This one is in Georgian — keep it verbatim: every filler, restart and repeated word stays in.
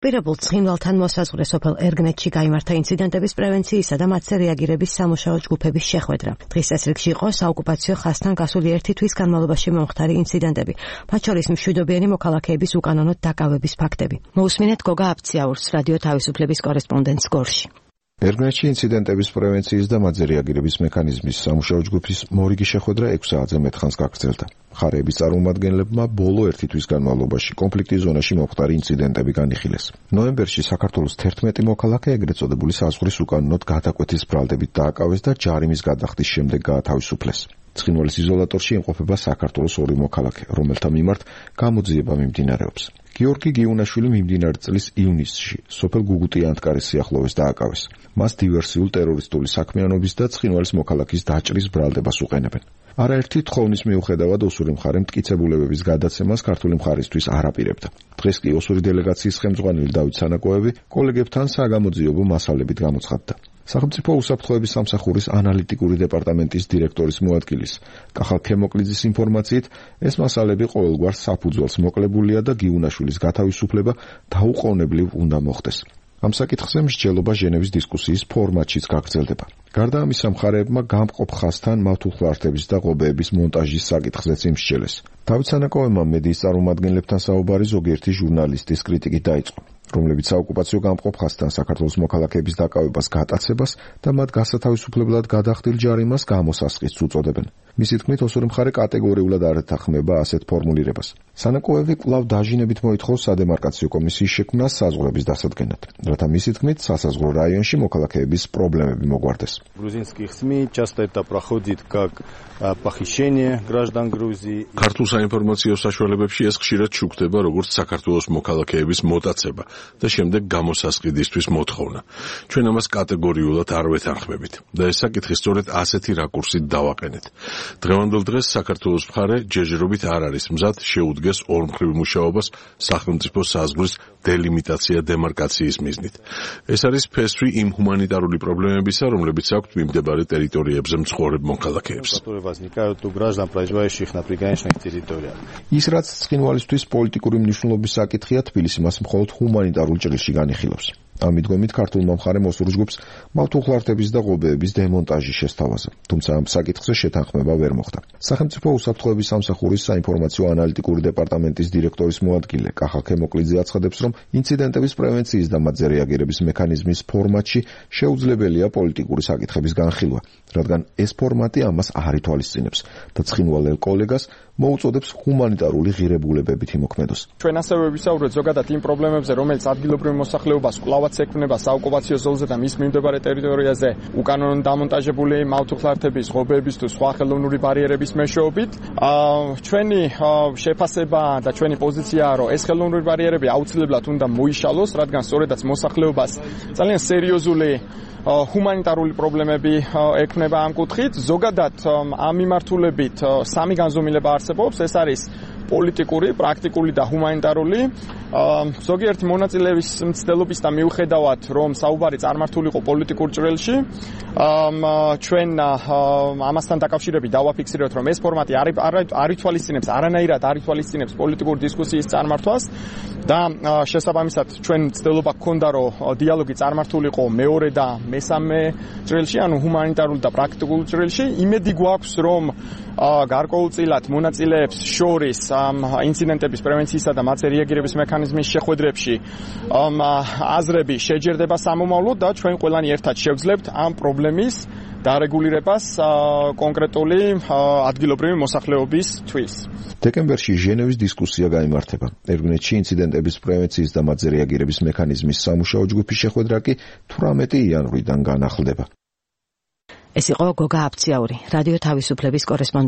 პირებულ ცხინვალთან მოსაზღვრე სოფელ ერგნეთში გაიმართა ინციდენტების პრევენციისა და მათზე რეაგირების სამუშაო ჯგუფების შეხვედრა. დღის წესრიგში იყო საოკუპაციო ხაზთან გასული ერთი თვის განმავლობაში მომხდარი ინციდენტები, მათ შორის მშვიდობიანი მოქალაქეების უკანონოდ დაკავების ფაქტები. მოусმინეთ გოგა აფციაურს, რადიო თავისუფლების კორესპონდენტს გორში. ერგნეთში ინციდენტების პრევენციის და მათზე რეაგირების მექანიზმის სამუშაო ჯგუფის მორიგი შეხვედრა ექვს საათზე მეტ ხანს გაგრძელდა. მხარეების წარმომადგენლებმა ბოლო ერთი თვის განმავლობაში კონფლიქტის ზონაში მომხდარი ინციდენტები განიხილეს. ნოემბერში საქართველოს თერთმეტი მოქალაქე ეგრეთ წოდებული საზღვრის უკანონოდ გადაკვეთის ბრალდებით დააკავეს და ჯარიმის გადახდის შემდეგ გაათავისუფლეს. ცხინვალის იზოლატორში იმყოფება საქართველოს ორი მოქალაქე, რომელთა მიმართ გამოძიება მიმდინარეობს. გიორგი გიუნაშვილი მიმდინარე წლის ივნისში სოფელ გუგუტი-ანტკარის სიახლოვეს დააკავეს. მას დივერსიულ ტერორისტული საქმიანობის და ცხინვალის მოქალაქის დაჭრის ბრალდებას უყენებენ. არაერთი თხოვნის მიუხედავად ოსური მხარე მტკიცებულებების გადაცემას ქართული მხარისთვის არ აპირებდა. დღეს კი ოსური დელეგაციის ხელმძღვანელი დავით სანაკოევი კოლეგებთან საგამოძიებო მასალებით გამოცხადდა. სახელმწიფო უსაფრთხოების სამსახურის ანალიტიკური დეპარტამენტის დირექტორის მოადგილის კახალ ქემოკლიძის ინფორმაციით, ეს მასალები ყოველგვარ საფუძველს მოკლებულია და გიუნაშვილის გათავისუფლება დაუყოვნებლივ უნდა მოხდეს. ამ საკითხზე მსჯელობა ჟენევის დისკუსიის ფორმატშიც გაგრძელდება. გარდა ამისა, მხარეებმა გამყოფ ხაზთან მავთულხლართების და ღობეების მონტაჟის საკითხზეც იმსჯელეს. დავით სანაკოევმა მედიის წარმომადგენლებთან საუბარი ზოგიერთი ჟურნალისტის კრიტიკით დაიწყო, რომლებიც საოკუპაციო გამყოფ ხაზთან საქართველოს მოქალაქეების დაკავებას გატაცებას და მათ გასათავისუფლებლად გადახდილ ჯარიმას გამოსასყიდს უწოდებენ. მისი თქმით, ოსური მხარე კატეგორიულად არ ეთანხმება ასეთ ფორმულირებას. სანაკოევი კვლავ დაჟინებით მოითხოვს სადემარკაციო კომისიის შექმნას საზღვრების დასადგენად, რათა მისი თქმით სასაზღვრო რაიონში მოქალაქეების პრობლემები მოგვარდეს. Грузинских СМИ часто это проходит как похищение граждан Грузии. ქართულ საინფორმაციო საშუალებებში ეს ხშირად შუქდება როგორც საქართველოს მოქალაქეების მოტაცება და შემდეგ გამოსასყიდისთვის მოთხოვნა. ჩვენ ამას კატეგორიულად არ ვეთანხმებით და ეს საკითხი სწორედ ასეთი რაკურსით დავაყენეთ. დღევანდელ დღეს საქართველოს მხარე ჯერჯერობით არ არის მზად შეუდგეს ორმხრივ მუშაობას სახელმწიფო საზღვრის დელიმიტაცია დემარკაციის მიზნით. ეს არის ფესვი იმ ჰუმანიტარული პრობლემებისა, რომლებიც აქვთ მიმდებარე ტერიტორიებზე მცხოვრებ მოქალაქეებს. ის რაც ცხინვალისთვის პოლიტიკური მნიშვნელობის საკითხია, თბილისი მას მხოლოდ ჰუმანიტარულ ჭრილში განიხილავს. ამ მიდგომით ქართულმა მხარემ ოსურ ჯგუფს მავთულხლართების და ღობეების დემონტაჟი შესთავაზა, თუმცა ამ საკითხზე შეთანხმება ვერ მოხდა. სახელმწიფო უსაფრთხოების სამსახურის საინფორმაციო ანალიტიკური დეპარტამენტის დირექტორის მოადგილე კახალ ქემოკლიძე აცხადებს, რომ ინციდენტების პრევენციის და მათზე რეაგირების მექანიზმის ფორმატში შეუძლებელია პოლიტიკური საკითხების განხილვა, რადგან ეს ფორმატი ამას არ ითვალისწინებს და ცხინვალელ კოლეგას მოუწოდებს ჰუმანიტარული ღირებულებებით იმოქმედოს. ჩვენ ასევე ვისაუბრეთ ზოგადად იმ პრობლემებზე, რომელიც ადგილობრივ მოსახლეობას კვლავაც ექმნება საოკუპაციო ზოლზე და მის მიმდებარე ტერიტორიაზე უკანონოდ დამონტაჟებული მავთულხლართების, ღობეების თუ სხვა ხელოვნური ბარიერების მეშვეობით. ჩვენი შეფასება და ჩვენი პოზიციაა, რომ ეს ხელოვნური ბარიერები აუცილებლად უნდა მოიშალოს, რადგან სწორედაც მოსახლეობას ძალიან სერიოზული ჰუმანიტარული პრობლემები ექმნება ამ კუთხით. ზოგადად ამ მიმართულებით სამი განზომილება არსებობს, ეს არის პოლიტიკური, პრაქტიკული და ჰუმანიტარული. ზოგიერთი მონაწილეების მცდელობის და მიუხედავად, რომ საუბარი წარმართულიყო პოლიტიკურ ჭრილში, ჩვენ ამასთან დაკავშირებით დავაფიქსირებთ, რომ ეს ფორმატი არ ითვალისწინებს, არანაირად არ ითვალისწინებს პოლიტიკურ დისკუსიის წარმართვას და შესაბამისად ჩვენ მცდელობა გქონდა, რომ დიალოგი წარმართულიყო მეორე და მესამე ჭრილში, ანუ ჰუმანიტარულ და პრაქტიკულ ჭრილში. იმედი გვაქვს, რომ გარკვეულწილად მონაწილეებს შორის ინციდენტების პრევენციისა და მათზე რეაგირების მექანიზმის შეხვედრებში აზრები შეჯერდება სამომავლოდ და ჩვენ ყველანი ერთად შევძლებთ ამ პრობლემის დარეგულირებას კონკრეტული ადგილობრივი მოსახლეობისთვის. დეკემბერში ჟენევის დისკუსია გაიმართება. ერგნეთში ინციდენტების პრევენციის და მათზე რეაგირების მექანიზმის სამუშაო ჯგუფის შეხვედრა კი თვრამეტი იანვრიდან განახლდება. ეს იყო გოგა აფციაური, რადიო თავისუფლების კორესპონდენტი.